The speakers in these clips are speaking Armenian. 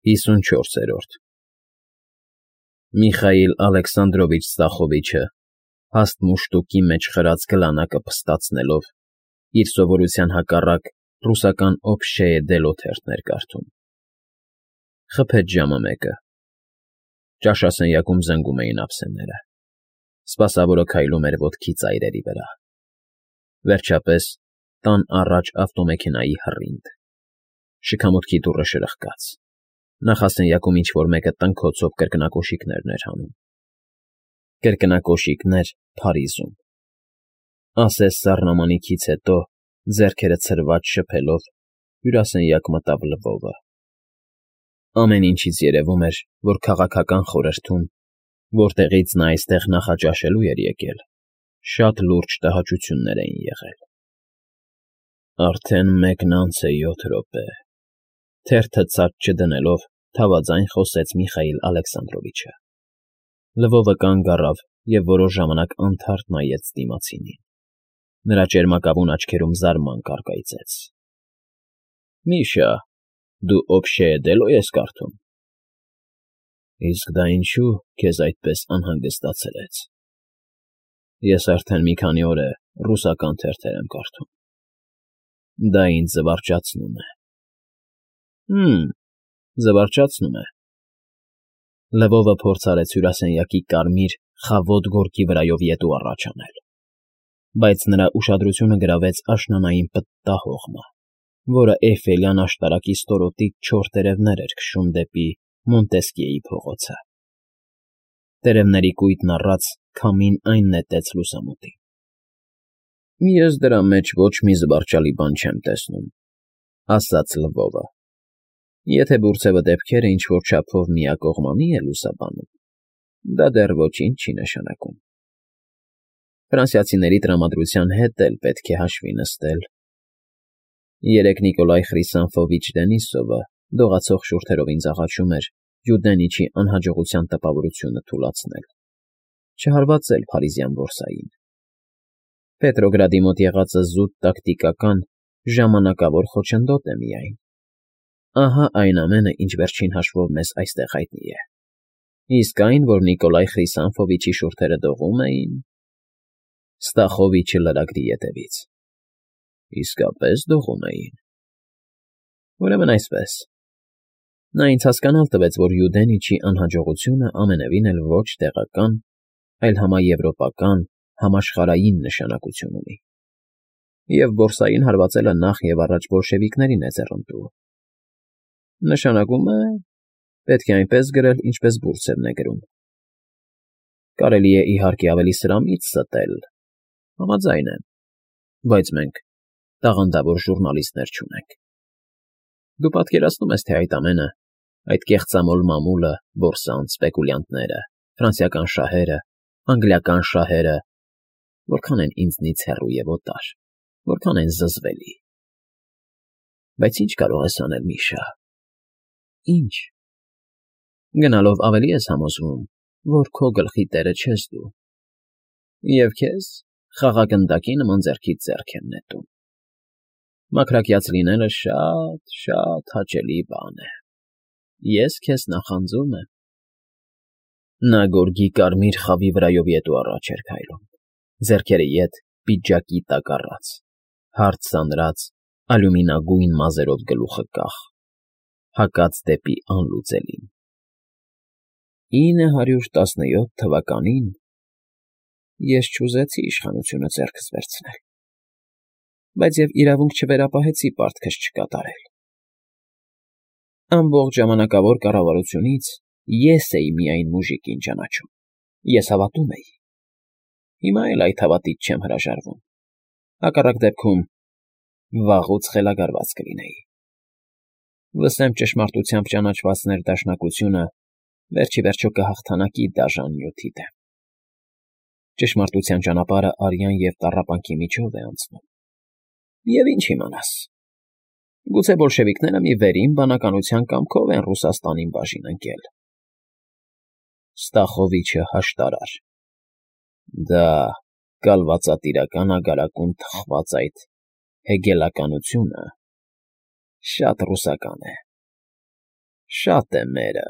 54-րդ Միխայիլ Ալեքսանդրովիչ Ստախովիչը, հաստ մուշտուկի մեջ խրած գլանակը փստացնելով, իր սովորության հակառակ ռուսական Օբշեե դել օթերթն էր կարդում։ Խփեց ժամը 1-ը։ Ճաշասենյակում զնգում էին ափսեները։ Սպասավորը քայլում էր ոտքի ծայրերի վրա։ Վերջապես տան առաջ ավտոմեքենայի հռինգ։ Շքամուտքի դուռը շրխկաց։ Նախասենյակում ինչ-որ մեկը տնքոցով կրկնակոշիկներն էր հանում։ Կրկնակոշիկներ Փարիզում։ Ասես սառնամանիքից հետո, ձեռքերը ցրված շփելով, հյուրասենյակ մտավ Լվովը։ Ամեն ինչից երևում էր, որ քաղաքական խորհրդում, որտեղից նա այստեղ նախաճաշելու էր եկել, շատ լուրջ տհաճություններ էին եղել։ Արդեն 7:07 րոպե, թերթը ցած չդնելով, թավաձայն խոսեց Միխայիլ Ալեքսանդրովիչը։ Լվովը կանգ առավ և որոշ ժամանակ անթարթ նայեց դիմացինին։ Նրա ճերմակավուն աչքերում զարմանք առկայծեց։ ֊ Միշա, դու Օբշեե դելո՞ ես կարդում։ Իսկ դա ինչու քեզ այդպես անհանգստացրեց։ Ես արդեն մի քանի օր է ռուսական թերթեր եմ կարդում։ Դա ինձ զվարճացնում է։ Զվարճացնում է։ Լվովը փորձ արեց հյուրասենյակի կարմիր, խավոտ գորգի վրայով ետու առաջ անել, բայց նրա ուշադրությունը գրավեց աշնանային պտտահողմը, որը Էյֆելյան աշտարակի ստորոտից չոր տերևներ էր քշում դեպի Մոնտեսկիեի փողոցը։ Տերևների կույտն առած քամին այն նետեց լուսամուտին։ Ես դրա մեջ ոչ մի զվարճալի բան չեմ տեսնում, ասաց Լվովը։ Եթե բուրծևը դեպքերը ինչ֊որ չափով միակողմանի է լուսաբանում, դա դեռ ոչինչ չի նշանակում։ Ֆրանսիացիների տրամադրության հետ էլ պետք է հաշվի նստել։ Երեկ Նիկոլայ Խրիսանֆովիչ Դենիսովը դողացող շուրթերով ինձ աղաչում էր Յուդենիչի անհաջողության տպավորությունը թուլացնել, չհարվածել Փարիզյան բորսային։ Պետրոգրադի մոտ եղածը զուտ տակտիկական, ժամանակավոր խոչընդոտ է միայն։ Ահա այն ամենը, ինչ վերջին հաշվով մեզ այստեղ հայտնի է։ Իսկ այն, որ Նիկոլայ Խրիսանֆովիչի շուրթերը դողում էին… Ստախովիչը լրագրի ետևից։ Իսկապես դողում էին։ Ուրեմն այսպես։ Նա ինձ հասկանալ տվեց, որ Յուդենիչի անհաջողությունը ամենևին էլ ոչ տեղական, այլ համաեվրոպական, համաշխարհային նշանակություն ունի։ Եվ բորսային հարվածելը նախ և առաջ բոլշևիկներին է ձեռնտու։ Նշանակում է, պետք է այնպես գրել, ինչպես բուրծևն է գրում։ Կարելի է, իհարկե, ավելի սրամիտ ստել, համաձայն եմ, բայց մենք տաղանդավոր ժուռնալիստներ չունենք։ Դու պատկերացնում ես, թե այդ ամենը, այդ կեղծամոլ մամուլը, բորսան, սպեկուլյանտները, ֆրանսիական շահերը, անգլիական շահերը, որքան են ինձնից հեռու և օտար, որքան են զզվելի։ Բայց ի՞նչ կարող ես անել, Միշա։ Ի՞նչ։ Գնալով ավելի ես համոզվում, որ քո գլխի տերը չես դու, և քեզ խաղաղագնդակի նման ձեռքից ձեռք են նետում։ Մաքրակյաց լինելը շատ հաճելի բան է։ Ես քեզ նախանձում եմ։ Նա գորգի կարմիր խավի վրայով ետու առաջ էր քայլում, ձեռքերը ետ պիջակի տակ առած, հարթ սանրած, ալյումինագույն մազերով գլուխը կախ, հակած դեպի անլուծելին։ 917 թվականին ես չուզեցի իշխանությունը ձեռքս վերցնել, բայց և իրավունք չվերապահեցի պարտքս չկատարել։ Ամբողջ ժամանակավոր կառավարությունից ես էի միայն մուժիկին ճանաչում, ես հավատում էի։ Հիմա էլ այդ հավատից չեմ հրաժարվում, հակառակ դեպքում վաղուց խելագարված կլինեի։ Վսեմ ճշմարտությամբ ճանաչված ներդաշնակությունը վերջ ի վերջո կհաղթանակի դաժան նյութի դեմ։ Ճշմարտության ճանապարհը արյան և տառապանքի միջով է անցնում։ Եվ ինչ իմանաս, գուցե բոլշևիկները մի վերին բանականության կամքով են Ռուսաստանին բաժին ընկել։ Ստախովիչը հաշտարար։ Դա կալվածատիրական ագարակում թխված այդ հեգելականությունը շատ ռուսական է։ Շատ է մերը։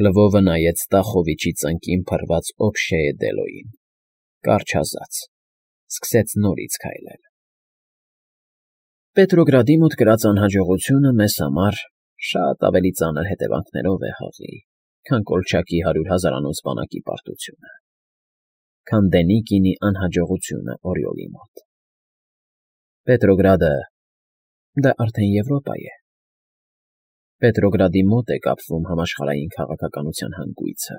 Լվովը նայեց Ստախովիչի ծնկին փռված Օբշեե Դելոյին, կառչազաց, սկսեց նորից քայլել։ Պետրոգրադի մոտ կրած անհաջողությունը մեզ համար շատ ավելի ծանր հետևանքներով է հղի, քան Կոլչակի 100,000-անոց բանակի պարտությունը, քան Դենիկինի անհաջողությունը Օրիոլի մոտ։ Պետրոգրադը դա արդեն Եվրոպա է։ Պետրոգրադի մոտ է կապվում համաշխարհային քաղաքականության հանգույցը։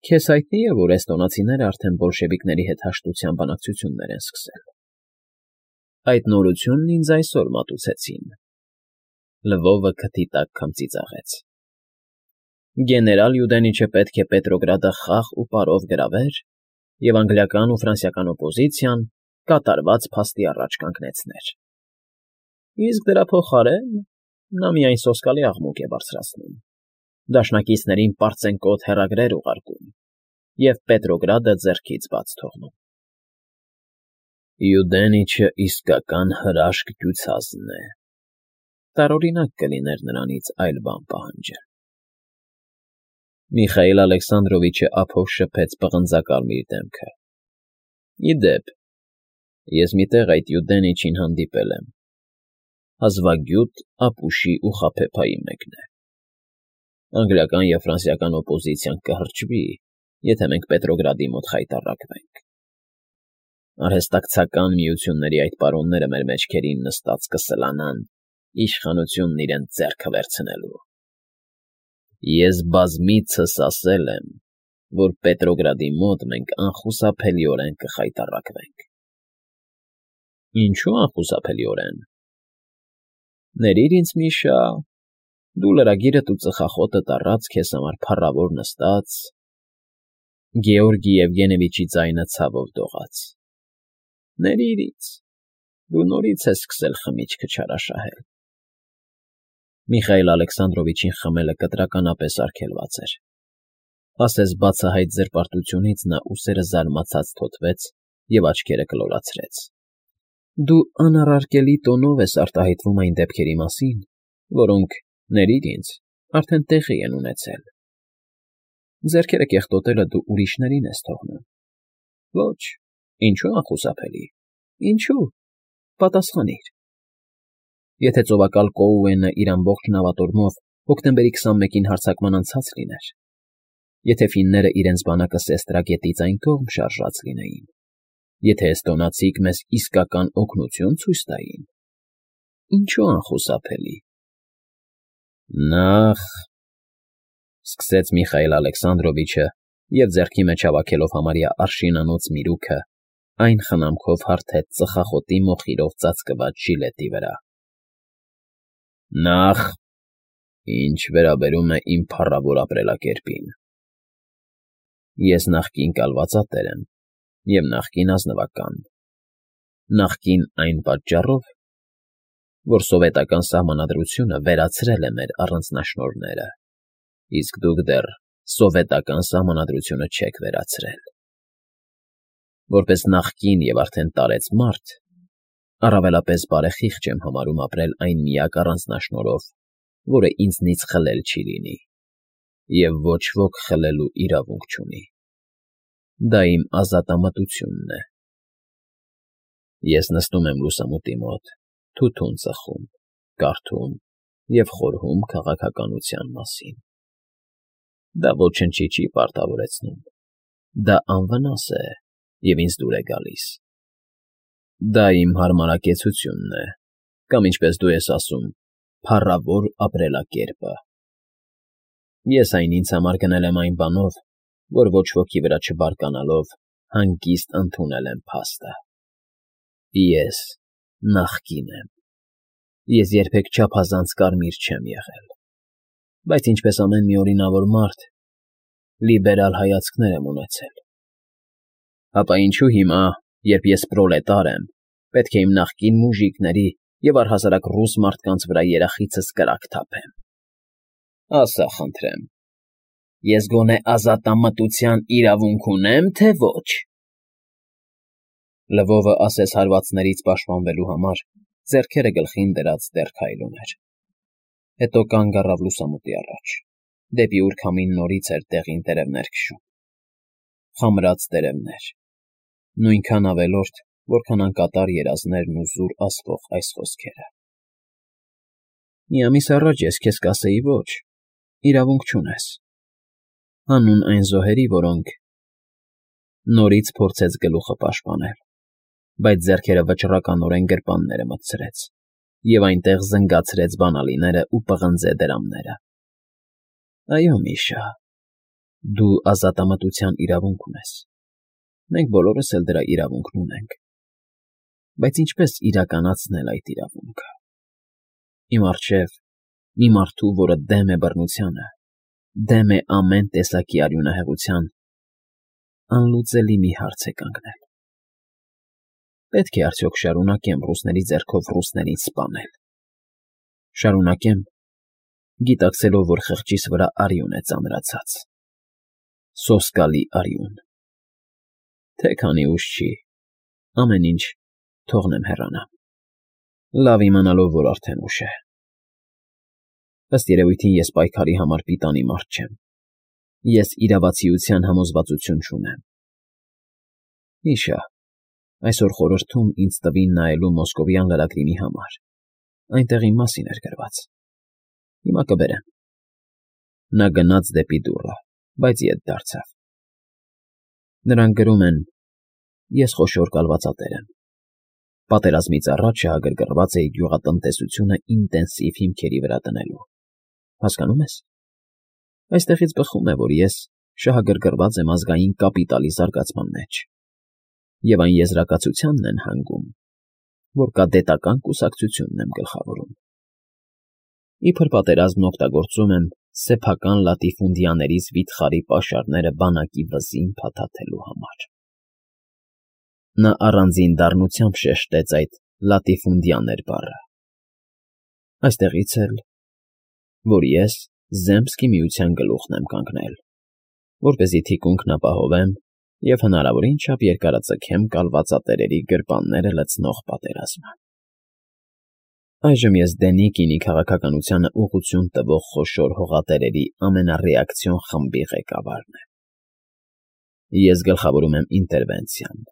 Քեզ հայտնի է, որ էստոնացիները արդեն բոլշևիկների հետ հաշտության բանակցություններ են սկսել։ Այդ նորությունն ինձ այսօր մատուցեցին։ Լվովը քթի տակ քմծիծաղեց։ Գեներալ Յուդենիչը պետք է Պետրոգրադը խաղ ու պարով գրավեր և անգլիական ու ֆրանսիական օպոզիցիան կատարված փաստի առաջ կանգնեցներ։ Իսկ դրա փոխարեն նա միայն սոսկալի աղմուկ է բարձրացնում, դաշնակիցներին պարծենկոտ հեռագրեր ուղարկում և Պետրոգրադը ձեռքից բաց թողնում։ Յուդենիչը իսկական հրաշք դյուցազն է, տարօրինակ կլիներ նրանից այլ բան պահանջել։ Միխայիլ Ալեքսանդրովիչը ափով շփեց պղնձակարմիր դեմքը։ Ի դեպ, ես մի տեղ այդ Յուդենիչին հանդիպել եմ։ Հազվագյուտ, ապուշի ու խաբեբայի մեկն է։ Անգլիական և ֆրանսիական օպոզիցիան կհրճվի, եթե մենք Պետրոգրադի մոտ խայտառակվենք։ Արհեստակցական միությունների այդ պարոնները մեր մեջքերին նստած կսլանան իշխանությունն իրենց ձեռքը վերցնելու։ Ես բազմիցս ասել եմ, որ Պետրոգրադի մոտ մենք անխուսափելիորեն կխայտառակվենք։ Ինչու անխուսափելիորեն։ Ներիր ինձ, Միշա, դու լրագիրդ ու ծխախոտդ առած քեզ համար փառավոր նստած, Գեորգի Եվգենևիչի ձայնը ցավով դողաց։ Ներիր ինձ, դու նորից ես սկսել խմիչքը չարաշահել։ Միխայիլ Ալեքսանդրովիչին խմելը կտրականապես արգելված էր։ Ասես բացահայտ զրպարտությունից նա ուսերը զարմացած թոթվեց և աչքերը կլորացրեց։ Դու անառարկելի տոնով ես արտահայտվում այն դեպքերի մասին, որոնք, ներիր ինձ, արդեն տեղի են ունեցել։ Ձեռքերը կեղտոտելը դու ուրիշներին ես թողնում։ Ոչ, ինչու անխուսափելի, ինչու, պատասխանիր։ Եթե ծովակալ Կոուենը իր ամբողջ նավատորմով հոկտեմբերի 21-ին հարձակման անցած լիներ, եթե ֆինները իրենց բանակը Սեստրագետից այն կողմ շարժած լինեին, եթե էստոնացիք մեզ իսկական օգնություն ցույց տային, ինչու անխուսափելի։ Նախ, սկսեց Միխայիլ Ալեքսանդրովիչը և ձեռքի մեջ հավաքելով համարյա արշինանոց միրուքը, այն խնամքով հարթեց ծխախոտի մոխիրով ծածկված ժիլետի վրա։ Նախ, ինչ վերաբերում է իմ փառավոր ապրելակերպին։ Ես նախկին կալվածատեր եմ և նախկին ազնվական, նախկին այն պատճառով, որ սովետական սահմանադրությունը վերացրել է մեր առանձնաշնորհները, իսկ դուք դեռ սովետական սահմանադրությունը չեք վերացրել։ Որպես նախկին և արդեն տարեց մարդ, առավելապես բարեխիղճ եմ համարում ապրել այն միակ առանձնաշնորհով, որը ինձնից խլել չի լինի, և ոչ ոք խլելու իրավունք չունի։ Դա իմ ազատամտությունն է։ Ես նստում եմ լուսամուտի մոտ, թութուն ծխում, կարդում և խորհում քաղաքականության մասին։ Դա ոչնչի չի պարտավորեցնում, դա անվնաս է և ինձ դուր է գալիս։ Դա իմ հարմարակեցությունն է, կամ ինչպես դու ես ասում, փառավոր ապրելակերպը։ Ես այն ինձ համար գնել եմ այն բանով, որ ոչ ոքի վրա չբարկանալով հանգիստ ընդունել եմ փաստը։ Ես նախկին եմ։ Ես երբեք չափազանց կարմիր չեմ եղել, բայց ինչպես ամեն մի օրինավոր մարդ, լիբերալ հայացքներ եմ ունեցել։ Ապա ինչու հիմա, երբ ես պրոլետար եմ, պետք է իմ նախկին մուժիկների և առհասարակ ռուս մարդկանց վրա երախիցս կրակ թափեմ։ Ասա խնդրեմ, ես գոնե ազատամտության իրավունք ունե՞մ, թե ոչ։ Լվովը ասես հարվածներից պաշտպանվելու համար ձեռքերը գլխին դրած դեռ քայլում էր։ Հետո կանգ առավ լուսամուտի առաջ, դեպի ուր քամին նորից էր տեղին տերևներ քշում, խամրած տերևներ, նույնքան ավելորդ, որքան անկատար երազներն ու զուր ասվող այս խոսքերը։ Մի ամիս առաջ ես քեզ կասեի ոչ, իրավունք չունես, հանուն այն զոհերի, որոնք… Նորից փորձեց գլուխը պաշտպանել, բայց ձեռքերը վճռականորեն գրպանները մտցրեց և այնտեղ զնգացրեց բանալիներն ու պղնձե դրամները։ Այո, Միշա, դու ազատամտության իրավունք ունես, մենք բոլորս էլ դրա իրավունքն ունենք, բայց ինչպես իրականացնել այդ իրավունքը։ Իմ առջև մի մարդու, որը դեմ է բռնությանը, դեմ է ամեն տեսակի արյունահեղության, անլուծելի մի հարց է կանգնել. պետք է արդյոք շարունակեմ ռուսների ձեռքով ռուսներին սպանել։ Շարունակեմ, գիտակցելով, որ խղճիս վրա արյուն է ծանրացած, սոսկալի արյուն։ Թե քանի ուշ չի, ամեն ինչ թողնեմ հեռանամ, լավ իմանալով, որ արդեն ուշ է։ Ըստ երևույթին ես պայքարի համար պիտանի մարդ չեմ, ես իրավացիության համոզվածություն չունեմ։ Միշա, այսօր խորհրդում ինձ տվին նայելու մոսկովյան լրագրի մի համար, այնտեղ իմ մասին էր գրված։ Հիմա կբերեմ։ Նա գնաց դեպի դուռը, բայց ետ դարձավ։ Նրանք գրում են. ես խոշոր կալվածատեր եմ։ Պատերազմից առաջ շահագրգռված էի գյուղատնտեսությունը ինտենսիվ հիմքերի վրա դնելու։ Հասկանում ես։ Այստեղից բխում է, որ ես շահագրգռված եմ ազգային կապիտալի զարգացման մեջ, և այն եզրակացությանն են հանգում, որ կադետական կուսակցությունն եմ գլխավորում։ Իբր պատերազմն օգտագործում եմ սեփական լատիֆունդիաներից վիթխարի պաշարները բանակի վզին փաթաթելու համար։ Նա առանձին դառնությամբ շեշտեց այդ լատիֆունդիաներ բառը։ Այստեղից էլ, որ ես Զեմսկի միության գլուխն եմ կանգնել, որպեսզի թիկունքն ապահովեմ և հնարավորին չափ երկարաձգեմ կալվածատերերի գրպանները լցնող պատերազմը։ Այժմ ես Դենիկինի քաղաքականությանը ուղղություն տվող խոշոր հողատերերի ամենառեակցիոն խմբի ղեկավարն եմ։ Ես գլխավորում եմ ինտերվենցիան,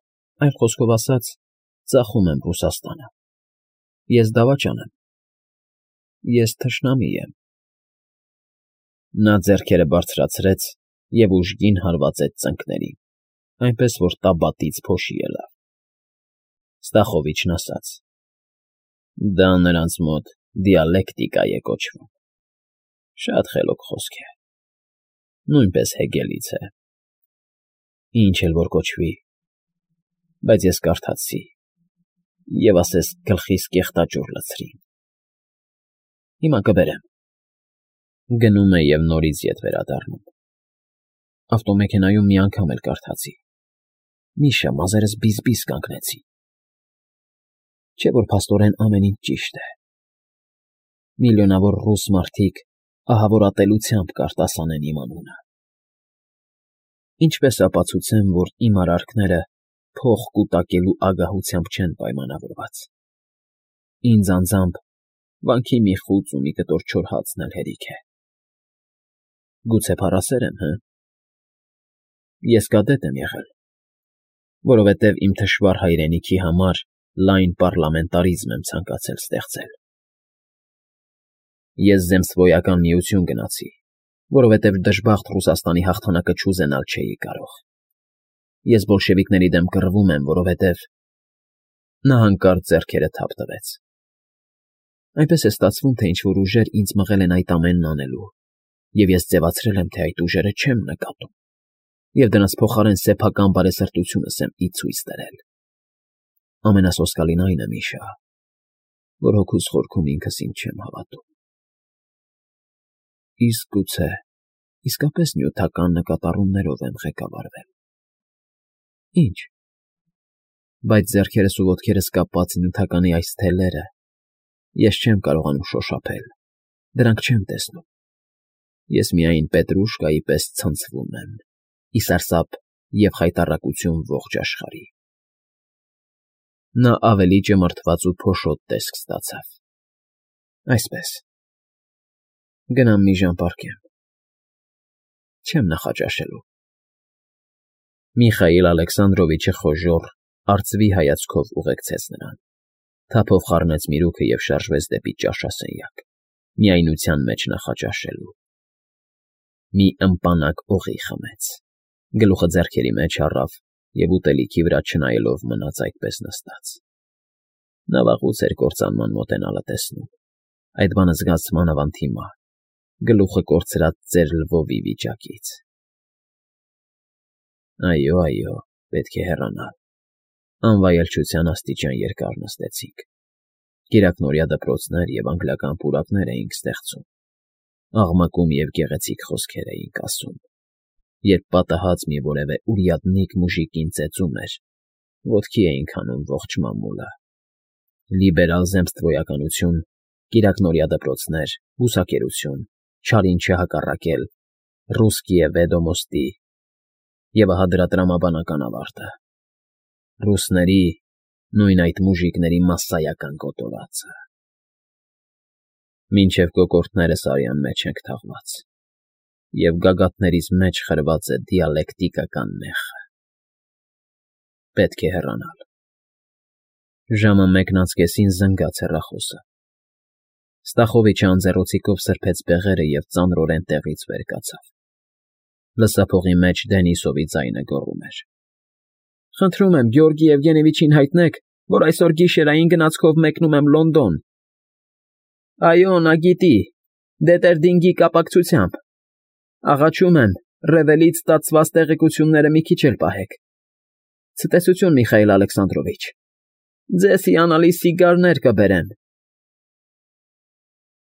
այլ խոսքով ասած, ծախում եմ Ռուսաստանը։ Ես դավաճան եմ։ Ես թշնամի եմ։ Նա ձեռքերը բարձրացրեց և ուժգին հարվածեց ծնկներին, այնպես որ տաբատից փոշի ելավ։ Ստախովիչն ասաց. դա նրանց մոտ դիալեկտիկա է կոչվում։ Շատ խելոք խոսք է, նույնպես Հեգելից է։ Ինչ էլ որ կոչվի, բայց ես կարդացի, և ասես գլխիս կեղտաճուռ լցրին։ Հիմա կբերեմ։ Գնում է և նորից ետ վերադառնում։ Ավտոմեքենայում մի անգամ էլ կարդացի։ Միշա, մազերս բիզ-բիզ կանգնեցին։ Չէ՞ որ փաստորեն ամեն ինչ ճիշտ է։ Միլիոնավոր ռուս մարդիկ ահավորատելությամբ կարտասանեն իմ անունը։ Ինչպես ապացուցեմ, որ իմ արարքները փող կուտակելու ագահությամբ չեն պայմանավորված։ Ինձ անձամբ վանքի մի խուծ ու մի կտոր չոր հացն էլ հերիք է։ Գուցե փառասեր եմ, հը՞։ Ես կադետ եմ եղել, որովհետև իմ թշվառ հայրենիքի համար լայն պառլամենտարիզմ եմ ցանկացել ստեղծել։ Ես Զեմսվոյական միություն գնացի, որովհետև դժբախտ Ռուսաստանի հաղթանակը չուզենալ չէի կարող։ Ես բոլշևիկների դեմ կռվում եմ, որովհետև… Նա հանկարծ ձեռքերը թափ տվեց։ Այնպես է ստացվում, թե ինչ֊որ ուժեր ինձ մղել են այդ ամենն անելու, և ես ձևացրել եմ, թե այդ ուժերը չեմ նկատում, և դրանց փոխարեն սեփական բարեսրտությունս եմ ի ցույց դրել։ Ամենասոսկալին այն է, Միշա, որ հոգուս խորքում ինքս ինձ չեմ հավատում։ Իսկ գուցե իսկապես նյութական նկատառումներով եմ ղեկավարվել։ Ինչ։ Բայց ձեռքերս ու ոտքերս կապված նյութականի այս թելերը ես չեմ կարողանում շոշափել, դրանք չեմ տեսնում։ Ես միայն Պետրուշկայի պես ցնցվում եմ, ի սարսափ և խայտառակություն ողջ աշխարհի։ Նա ավելի ճմրթված ու փոշոտ տեսք ստացավ։ Այսպես, Գնամ մի ժամ պառկեմ։ Չեմ նախաճաշելու։ Միխայիլ Ալեքսանդրովիչը խոժոռ, արծվի հայացքով ուղեկցեց նրան, թափով խառնեց միրուքը և շարժվեց դեպի ճաշասենյակ, միայնության մեջ նախաճաշելու։ Մի ըմպանակ օղի խմեց, գլուխը ձեռքերի մեջ առավ և ուտելիքի վրա չնայելով մնաց այդպես նստած։ Նա վաղուց էր կործանման մոտենալը տեսնում, այդ բանը զգաց մանավանդ հիմա, գլուխը կորցրած ծեր Լվովի վիճակից։ Այո, պետք է հեռանալ։ Անվայելչության աստիճան երկար նստեցինք։ Կիրակնօրյա դպրոցներ և անգլիական պուրակներ էինք ստեղծում, աղմկում և գեղեցիկ խոսքեր էինք ասում, երբ պատահած մի որևէ ուրյադնիկ մուժիկին ծեծում էր, ոտքի էինք հանում ողջ մամուլը։ Լիբերալ zemstvոյականություն, կիրակնօրյա դպրոցներ, բուսակերություն, չարին չհակառակել, ռուսկիե վեդոմոստի, և ահա դրա տրամաբանական ավարտը. ռուսների, նույն այդ մուժիկների մասսայական կոտորածը։ Մինչև կոկորդներս արյան մեջ ենք թաղված, և գագաթներիս մեջ խրված է դիալեկտիկական մեղը։ Պետք է հեռանալ։ Ժամը 1:10-ին զնգաց հեռախոսը։ Ստախովիչը անձեռոցիկով սրբեց բեղերը և ծանրորեն տեղից վեր կացավ։ Լսափողի մեջ Դենիսովի ձայնը գոռում էր. Խնդրում եմ Գեորգի Եվգենիևիչին հայտնեք, որ այսօր գիշերային գնացքով մեկնում եմ Լոնդոն։ Այո, նա գիտի, Դետերդինգի կապակցությամբ։ Աղաչում եմ, Ռևելից ստացված տեղեկությունները մի քիչ էլ պահեք։ Ցտեսություն, Միխայիլ Ալեքսանդրովիչ։ Ձեզ հիանալի սիգարներ կբերեմ։